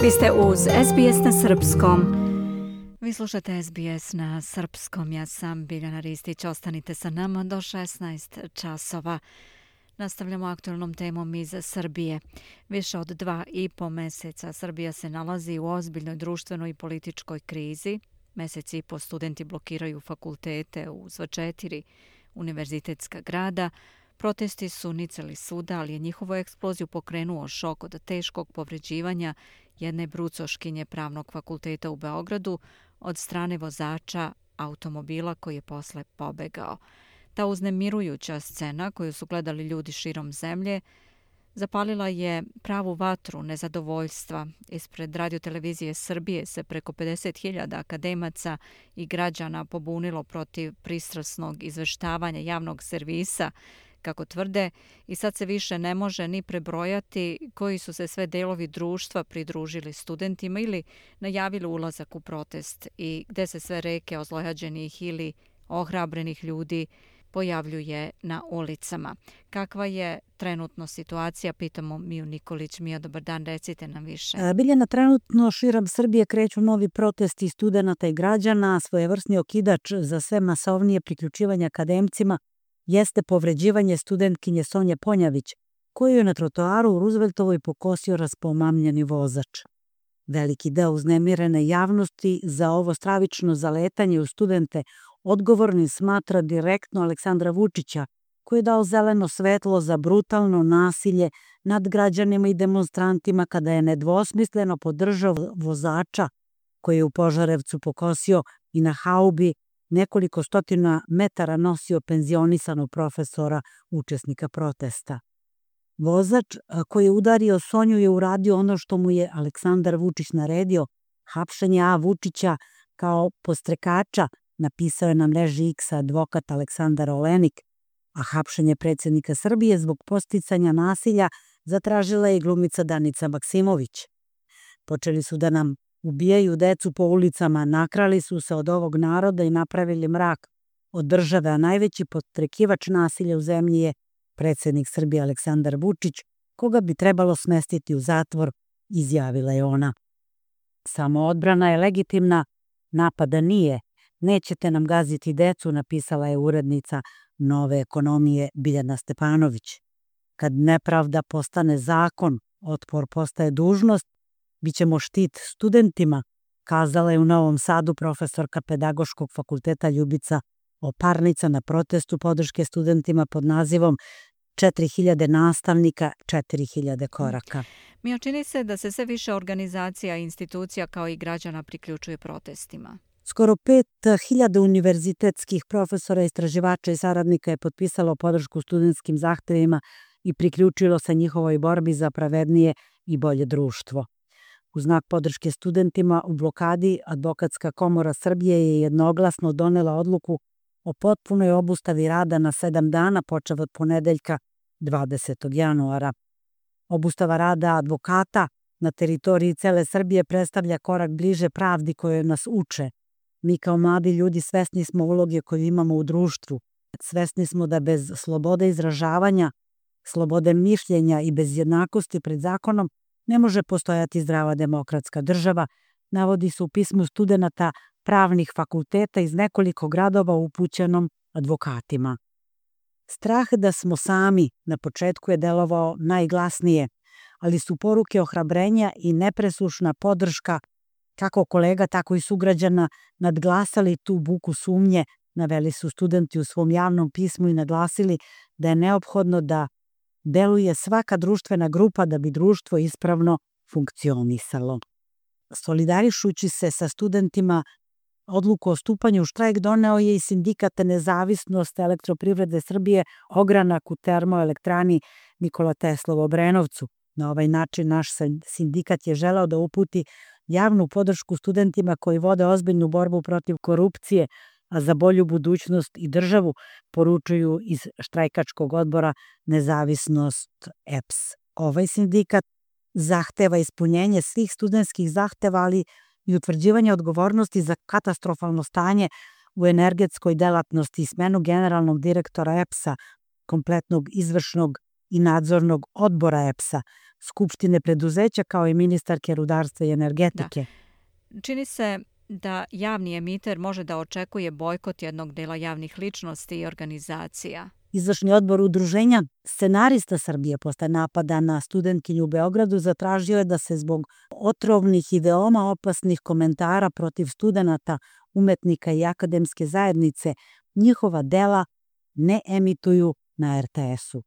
Vi ste uz SBS na srpskom. Vi slušate SBS na srpskom. Ja sam Biljana Ristić. Ostanite sa nama do 16 časova. Nastavljamo aktualnom temom iz Srbije. Više od 2,5 meseca Srbija se nalazi u ozbiljnoj društvenoj i političkoj krizi. Mesec i po studenti blokiraju fakultete u sva 4 univerzitetska grada. Protesti su nicali svuda, ali je njihovu eksploziju pokrenuo šok od teškog povređivanja jedne brucoškinje Pravnog fakulteta u Beogradu od strane vozača automobila koji je posle pobegao. Ta uznemirujuća scena koju su gledali ljudi širom zemlje zapalila je pravu vatru nezadovoljstva. Ispred radiotelevizije Srbije se preko 50.000 akademaca i građana pobunilo protiv pristrasnog izveštavanja javnog servisa, kako tvrde, i sad se više ne može ni prebrojati koji su se sve delovi društva pridružili studentima ili najavili ulazak u protest i gde se sve reke ozlojađenih ili ohrabrenih ljudi pojavljuje na ulicama. Kakva je trenutno situacija? Pitamo Miju Nikolić. Mija, dobar dan, recite nam više. Biljana, trenutno širom Srbije kreću novi protesti studenata i građana. Svojevrsni okidač za sve masovnije priključivanje akademcima jeste povređivanje studentkinje Sonje Ponjavić, koju je na trotoaru u Rooseveltovoj pokosio raspomamljeni vozač. Veliki deo uznemirene javnosti za ovo stravično zaletanje u studente odgovornim smatra direktno Aleksandra Vučića, koji je dao zeleno svetlo za brutalno nasilje nad građanima i demonstrantima kada je nedvosmisleno podržao vozača koji je u Požarevcu pokosio i na haubi nekoliko stotina metara nosio penzionisanog profesora, učesnika protesta. Vozač koji je udario Sonju je uradio ono što mu je Aleksandar Vučić naredio, hapšenje A. Vučića kao podstrekača, napisao je na mreži X advokat Aleksandar Olenik, a hapšenje predsjednika Srbije zbog podsticanja nasilja zatražila je i glumica Danica Maksimović. Počeli su da nam ubijaju decu po ulicama, nakrali su se od ovog naroda i napravili mrak od države, a najveći podstrekivač nasilja u zemlji je predsjednik Srbije Aleksandar Vučić, koga bi trebalo smestiti u zatvor, izjavila je ona. Samoodbrana je legitimna, napada nije. Nećete nam gaziti decu, napisala je urednica Nove ekonomije Biljana Stepanović. Kad nepravda postane zakon, otpor postaje dužnost, bićemo štit studentima, kazala je u Novom Sadu profesorka Pedagoškog fakulteta Ljubica Oparnica na protestu podrške studentima pod nazivom 4000 nastavnika, 4000 koraka. Mija, čini se da se sve više organizacija i institucija kao i građana priključuje protestima. Skoro 5000 univerzitetskih profesora, istraživača i saradnika je potpisalo podršku studentskim zahtevima i priključilo se njihovoj borbi za pravednije i bolje društvo. U znak podrške studentima u blokadi, Advokatska komora Srbije je jednoglasno donela odluku o potpunoj obustavi rada na 7 dana, počev od ponedeljka 20. januara. Obustava rada advokata na teritoriji cele Srbije predstavlja korak bliže pravdi koje nas uče. Mi kao mladi ljudi svesni smo uloge koju imamo u društvu. Svesni smo da bez slobode izražavanja, slobode mišljenja i bez jednakosti pred zakonom ne može postojati zdrava demokratska država, navodi se u pismu studenata pravnih fakulteta iz nekoliko gradova upućenom advokatima. Strah da smo sami na početku je delovao najglasnije, ali su poruke ohrabrenja i nepresušna podrška kako kolega, tako i sugrađana nadglasali tu buku sumnje, naveli su studenti u svom javnom pismu i naglasili da je neophodno da deluje svaka društvena grupa da bi društvo ispravno funkcionisalo. Solidarišući se sa studentima, odluku o stupanju u štrajk doneo je i sindikat Nezavisnost elektroprivrede Srbije ogranak u termoelektrani Nikola Tesla u Obrenovcu. Na ovaj način naš sindikat je želeo da uputi javnu podršku studentima koji vode ozbiljnu borbu protiv korupcije, a za bolju budućnost i državu, poručuju iz štrajkačkog odbora Nezavisnost EPS. Ovaj sindikat zahteva ispunjenje svih studentskih zahteva, ali i utvrđivanje odgovornosti za katastrofalno stanje u energetskoj delatnosti i smenu generalnog direktora EPS-a, kompletnog izvršnog i nadzornog odbora EPS-a. skupštine preduzeća kao i ministarke rudarstva i energetike. Čini se da javni emiter može da očekuje bojkot jednog dela javnih ličnosti i organizacija. Izvršni odbor udruženja Scenarista Srbije posle napada na studentkinju u Beogradu zatražio je da se zbog otrovnih i veoma opasnih komentara protiv studenata, umetnika i akademske zajednice njihova dela ne emituju na RTS-u.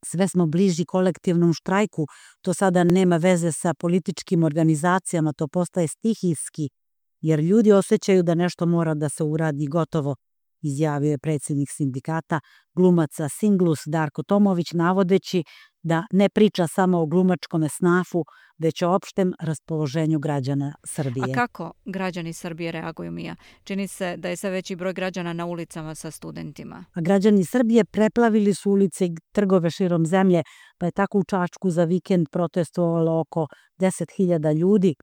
Sve smo bliži kolektivnom štrajku, to sada nema veze sa političkim organizacijama, to postaje stihijski, jer ljudi osjećaju da nešto mora da se uradi gotovo, izjavio je predsjednik sindikata glumaca Singlus Darko Tomović, navodeći da ne priča samo o glumačkom snafu, već o opštem raspoloženju građana Srbije. A kako građani Srbije reaguju, Mija? Čini se da je sve veći broj građana na ulicama sa studentima. A građani Srbije preplavili su ulice i trgove širom zemlje, pa je tako u Čačku za vikend protestovalo oko 10.000 ljudi.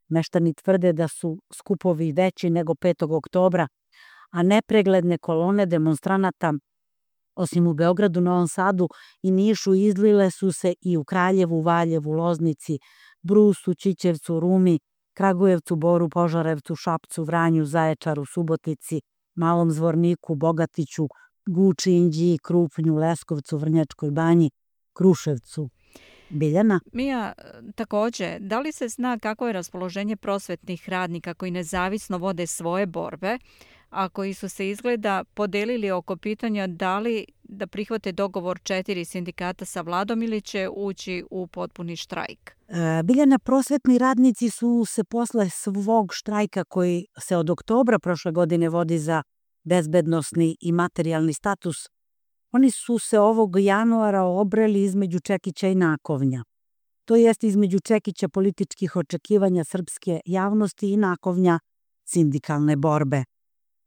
Meštani tvrde da su skupovi veći nego 5. oktobra, a nepregledne kolone demonstranata, osim u Beogradu, Novom Sadu i Nišu, izlile su se i u Kraljevu, Valjevu, Loznici, Brusu, Ćićevcu, Rumi, Kragujevcu, Boru, Požarevcu, Šapcu, Vranju, Zaječaru, Subotici, Malom Zvorniku, Bogatiću, Guči, Inđiji, Krupnju, Leskovcu, Vrnjačkoj Banji, Kruševcu. Biljana? Mija, takođe, da li se zna kako je raspoloženje prosvetnih radnika koji nezavisno vode svoje borbe, a koji su se izgleda podelili oko pitanja da li da prihvate dogovor 4 sindikata sa vladom ili će ući u potpuni štrajk? Biljana, prosvetni radnici su se posle svog štrajka koji se od oktobra prošle godine vodi za bezbednosni i materijalni status, oni su se ovog januara obreli između čekića i nakovnja. To jest između čekića političkih očekivanja srpske javnosti i nakovnja sindikalne borbe.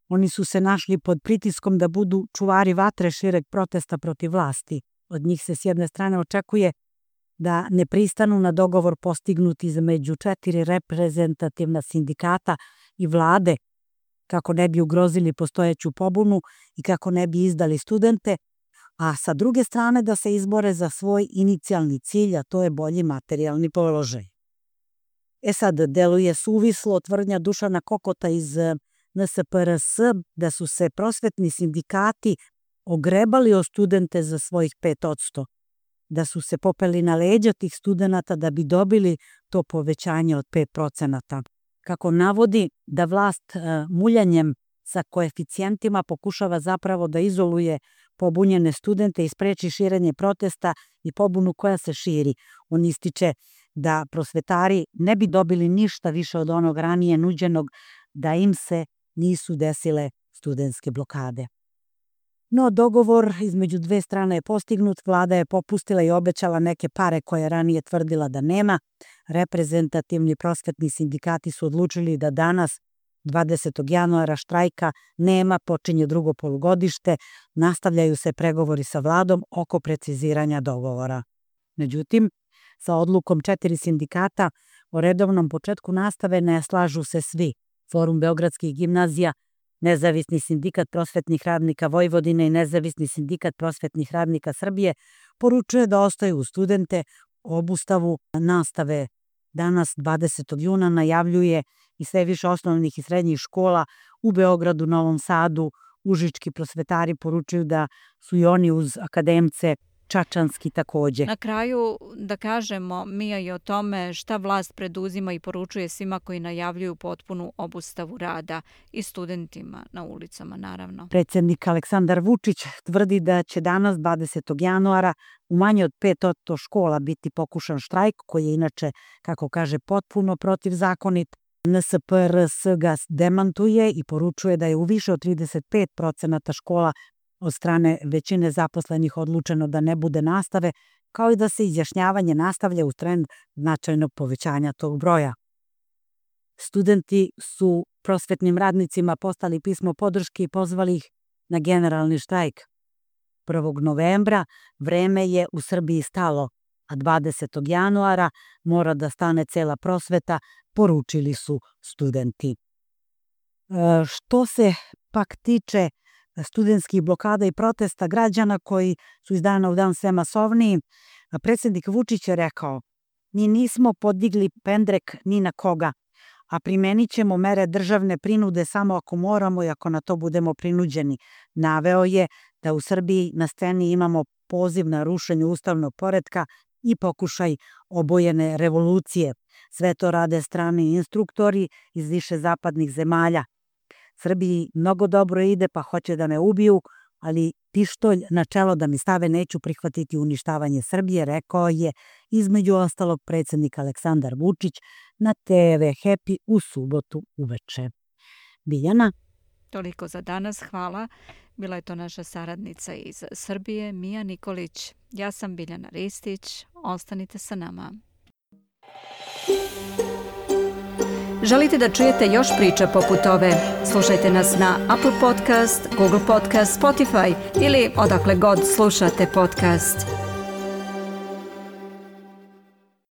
Oni su se našli pod pritiskom da budu čuvari vatre šireg protesta protiv vlasti. Od njih se s jedne strane očekuje da ne pristanu na dogovor postignut između 4 reprezentativna sindikata i vlade, kako ne bi ugrozili postojeću pobunu i kako ne bi izdali studente, a sa druge strane da se izbore za svoj inicijalni cilj, a to je bolji materijalni položaj. Sad, deluje suvislo tvrdnja Dušana Kokota iz NSPRS da su se prosvetni sindikati ogrebali o studente za svojih 5%, da su se popeli na leđa tih studenata da bi dobili to povećanje od 5%. Kako navodi da vlast muljanjem sa koeficijentima pokušava zapravo da izoluje pobunjene studente i spreči širenje protesta i pobunu koja se širi. On ističe da prosvetari ne bi dobili ništa više od onog ranije nuđenog da im se nisu desile studentske blokade. No, dogovor između dve strane je postignut, vlada je popustila i obećala neke pare koje je ranije tvrdila da nema. Reprezentativni prosvetni sindikati su odlučili da danas, 20. januara, štrajka nema, počinje drugo polugodište, nastavljaju se pregovori sa vladom oko preciziranja dogovora. Međutim, sa odlukom 4 sindikata o redovnom početku nastave ne slažu se svi. Forum beogradskih gimnazija, Nezavisni sindikat prosvetnih radnika Vojvodine i Nezavisni sindikat prosvetnih radnika Srbije poručuje da ostaju uz studente. Obustavu nastave danas, 20. juna, najavljuje i sve više osnovnih i srednjih škola u Beogradu, Novom Sadu. Užički prosvetari poručuju da su i oni uz akademce, čačanski takođe. Na kraju da kažemo, Mija, i o tome šta vlast preduzima i poručuje svima koji najavljuju potpunu obustavu rada i studentima na ulicama, naravno. Predsjednik Aleksandar Vučić tvrdi da će danas, 20. januara, u manje od 5% škola biti pokušan štrajk, koji je inače, kako kaže, potpuno protivzakonit. NSPRS ga demantuje i poručuje da je u više od 35% škola od strane većine zaposlenih odlučeno da ne bude nastave, kao i da se izjašnjavanje nastavlja uz trend značajnog povećanja tog broja. Studenti su prosvetnim radnicima poslali pismo podrške i pozvali ih na generalni štrajk. 1. novembra vreme je u Srbiji stalo, a 20. januara mora da stane cela prosveta, poručili su studenti. Što se pak tiče studentskih blokada i protesta građana koji su iz dana u dan sve masovniji, A predsjednik Vučić je rekao: "Mi nismo podigli pendrek ni na koga, a primenit ćemo mere državne prinude samo ako moramo i ako na to budemo prinuđeni." Naveo je da u Srbiji na sceni imamo poziv na rušenje ustavnog poretka i pokušaj obojene revolucije. Sve to rade strani instruktori iz više zapadnih zemalja. Srbiji mnogo dobro ide, pa hoće da me ubiju, ali pištolj na čelo da mi stave, neću prihvatiti uništavanje Srbije, rekao je između ostalog predsjednik Aleksandar Vučić na TV Happy u subotu uveče. Biljana? Toliko za danas, hvala. Bila je to naša saradnica iz Srbije, Mija Nikolić. Ja sam Biljana Ristić, ostanite sa nama. Želite da čujete još priča poput ove? Slušajte nas na Apple Podcast, Google Podcast, Spotify ili odakle god slušate podcast.